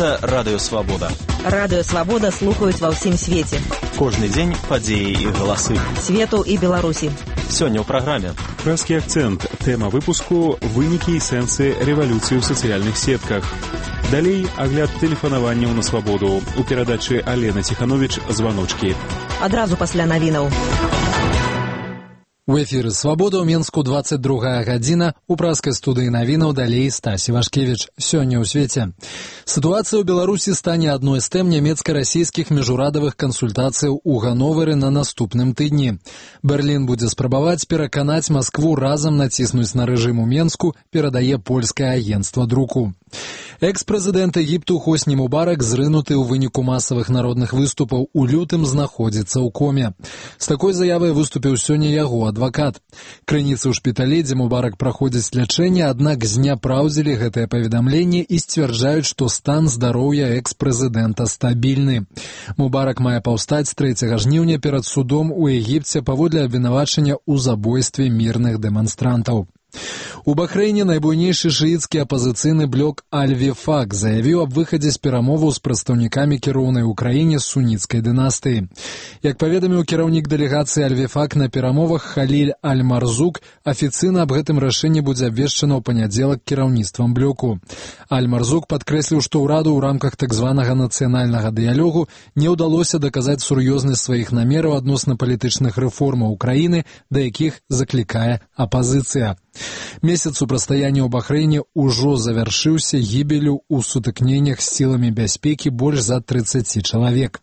Гэта Радыё Свабода. Радыё Свабода слухаюць ва ўсім свеце. Кожны дзень падзеі і галасы. Свету і Беларусі. Сёння ў праграме. Прэскі акцэнт. Тэма выпуску – вынікі і сэнсы рэвалюцыі ў сацыяльных сетках. Далей агляд тэлефанаванняў на свабоду. У перадачы Алена Ціхановіч «Званочкі». Адразу пасля навінаў. У эфіры «Свабода» ў Менску 22 гадзіна. У праскай студыі навінаў далей Стасі Вашкевіч. Сёння ў свеце. Сітуацыя ў Беларусі стане адной з тэм нямецка-расійскіх міжурадавых кансультацыяў у Ганновары на наступным тыдні. Берлін будзе спрабаваць пераканаць Маскву разам націснуць на рэжым у Менску, перадае польскае агенцтва друку. Экс-прэзідэнт Егіпту Хосні Мубарак, зрынуты ў выніку масавых народных выступаў у лютым, знаходзіцца ў коме. З такой заявай выступіў сёння яго адвакат. Крыніцы ў шпіталі, дзе Мубарак праходзіць лячэнне, аднак зняпраўдзілі гэтае паведамленне і сцвярджаюць, што стан здароўя экс-прэзідэнта стабільны. Мубарак мае паўстаць 3 жніўня перад судом у Егіпце паводле абвінавачання ў забойстве мірных дэманстрантаў. У Бахрэйне найбуйнейшы шыіцкі апазіцыйны блок Аль-Вифак заявіў аб выхадзе з перамоваў з прадстаўнікамі кіроўнай у краіне суніцкай дынастыі. Як паведаміў кіраўнік дэлегацыі Аль-Вифак на перамовах Халіль Аль-Марзук, афіцыйна аб гэтым рашэнні будзе абвешчана ў панядзелак кіраўніцтвам блоку. Аль-Марзук падкрэсліў, што ўраду ў рамках так званага нацыянальнага дыялогу не ўдалося даказаць сур'ёзнасць сваіх намераў адносна палітычных рэформаў краіны, да якіх заклікае апазіцыя. Месяц супрацьстаяння ў Бахрэйне ўжо завяршыўся гібелю ў сутыкненнях з сіламі бяспекі больш за 30 чалавек.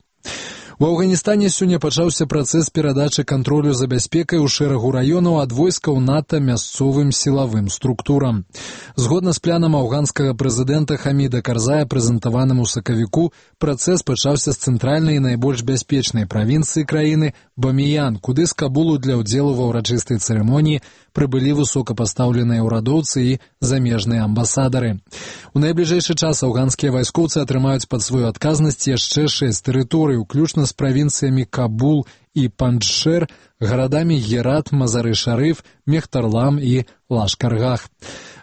У Афганістане сёння пачаўся працэс перадачы кантролю за бяспекай у шэрагу раёнаў ад войскаў НАТО мясцовым сілавым структурам. Згодна з планам афганскага прэзідэнта Хаміда Карзая, прэзентаваным у сакавіку, працэс пачаўся з цэнтральнай і найбольш бяспечнай правінцыі краіны Баміян, куды з Кабулу для ўдзелу ва ўрачыстай цырымоніі прыбылі высокапастаўленыя ўрадоўцы і замежныя амбасадары. У найбліжэйшы час афганскія вайскоўцы атрымаюць пад сваю адказнасць яшчэ 6 тэрыторый, уключна з правінцыямі Кабул і Панджшэр, гарадамі Герат, Мазары-Шарыф, Мехтарлам і Лашкаргах.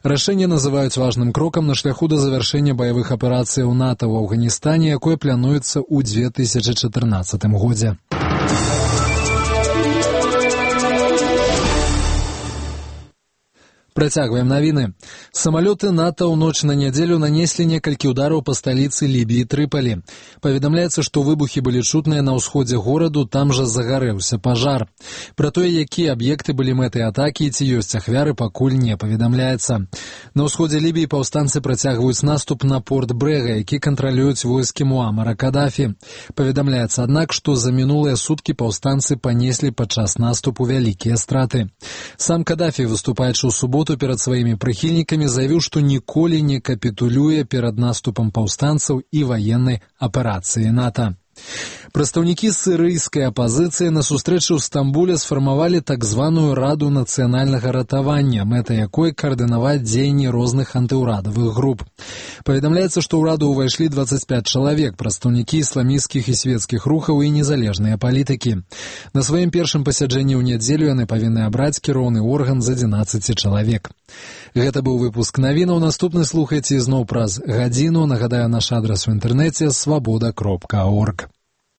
Рашэнне называюць важным крокам на шляху да завяршэння баявых аперацыяў НАТО ў Афганістане, якое плануецца ў 2014 годзе. Працягваем навіны. Самалёты НАТО ў ноч на нядзелю нанеслі некалькі удараў па сталіцы Лібіі Трыпалі. Паведамляецца, што выбухі былі чутныя на ўсходзе гораду, там жа загарэўся пажар. Пра тое, якія аб'екты былі мэтай атакі і ці ёсць ахвяры, пакуль не паведамляецца. На ўсходзе Лібіі паўстанцы працягваюць наступ на порт Брэга, які кантралююць войскі Муамара Кадафі. Паведамляецца, аднак, што за мінулыя суткі паўстанцы панеслі падчас наступу вялікія страты. Сам Кадафі, выступаючы ў суботу перад сваімі прыхільнікамі, заявіў, што ніколі не капітулюе перад наступам паўстанцаў і ваеннай аперацыі НАТО. Прадстаўнікі сірыйскай апазіцыі на сустрэчы ў Стамбуле сфармавалі так званую Раду нацыянальнага ратавання, мэта якой каардынаваць дзеянні розных антыўрадавых груп. Паведамляецца, што ў раду ўвайшлі 25 чалавек, прадстаўнікі ісламісцкіх і свецкіх рухаў і незалежныя палітыкі. На сваім першым пасяджэнні ў нядзелю яны павінны абраць кіроўны орган з 11 чалавек. Гэта быў выпуск навінаў. Наступны слухайце ізноў праз гадзіну. Нагадаю, наш адрас у інтэрнэце свабода.орг.